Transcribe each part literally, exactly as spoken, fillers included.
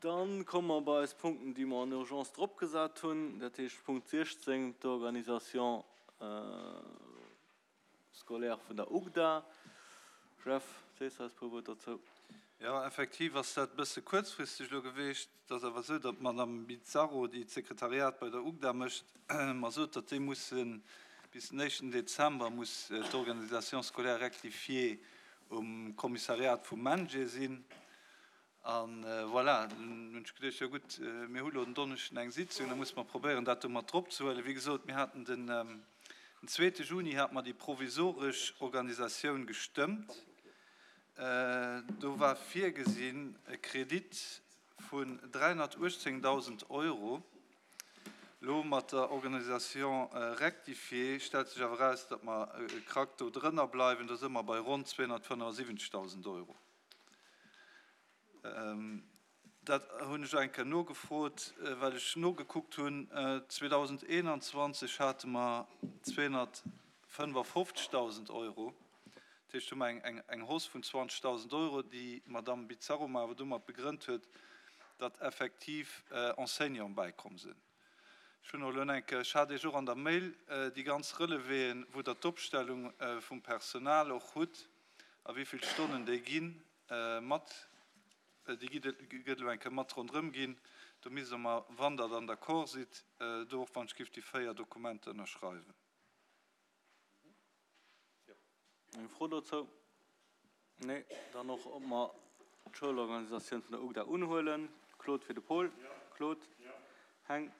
Dann komme mer bei eis Punkten, déi mer en urgence drop gesat hunn, dat heescht Punkt siechzéng, d'Organisation scolaire vun der UGDA. Jeff, sees eis e puer Wuert dozou. Jo, effektiv ass dat e bësse kuerzfristeg elo geweecht. Et ass awer esou, datt d'Madame Bizzarro, déi d'Sekretariat bei der UGDA mécht, mer sot, datt déi musse bis den éischten Dezember muss d'Organisation scolaire rectifiée um Kommissariat vum MENJE sinn. A voilà, dunn hunn ech geduecht, jo gutt, mir hu lo den Donneschden eng Sitzung, da musse mer probéieren, dat do mat drop ze huelen. Wéi gesot, mir haten den zweete Juni hate mer déi provisoresch Organisatioun gestëmmt. Do war virgesinn e Kredit vun dräihunnertuechtzéngdausend Euro. Elo mat der Organisation rectifiée stellt sech awer eraus, datt mer e Krack do drënner bleiwen. Do si mer bei ronn zweehunnertfënnefundsiwwenzegdausend Euro. Dat hunn ech eng Kéier nogefrot, well ech nogekuckt hunn, zweedausendeenanzwanzeg hate mer zweehunnertfënnefofzegdausend Euro. Dat heescht, hu mer eng Hausse vun zwanzegdausend Euro, déi d'Madamm Bizzarro mer awer domat begrënnt huet, datt effektiv Enseignanten bäikomm sinn. Ech hunn och elo eng Kéier, ech hat Iech och an der Mail déi ganz Relevéen, wou Der d'Opstellung vum Personal och hutt a wéi vill Stonnen déi ginn, mat, déi gëtt elo eng Kéier mat ronderëm ginn. Do misst Der mer, wann Der dann d'accord sidd, do och wann ech giff déi véier Dokumenter ënnerschreiwen. Eng Fro dozou? Nee. Dann och, ob mer d'Schoulorganisatioun vun der UGDA unhuelen. Claude fir de Paul. Claude? Heng?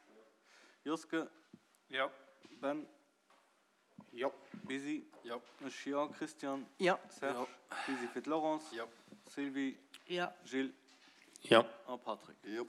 Joske? Ben? Jo. Bisi? Jo. Ech jo. Christian? Jo. Serge? Bisi fir d'Laurence? Jo. Sylvie? Jo. Gilles? Jo. A Patrick? Jo.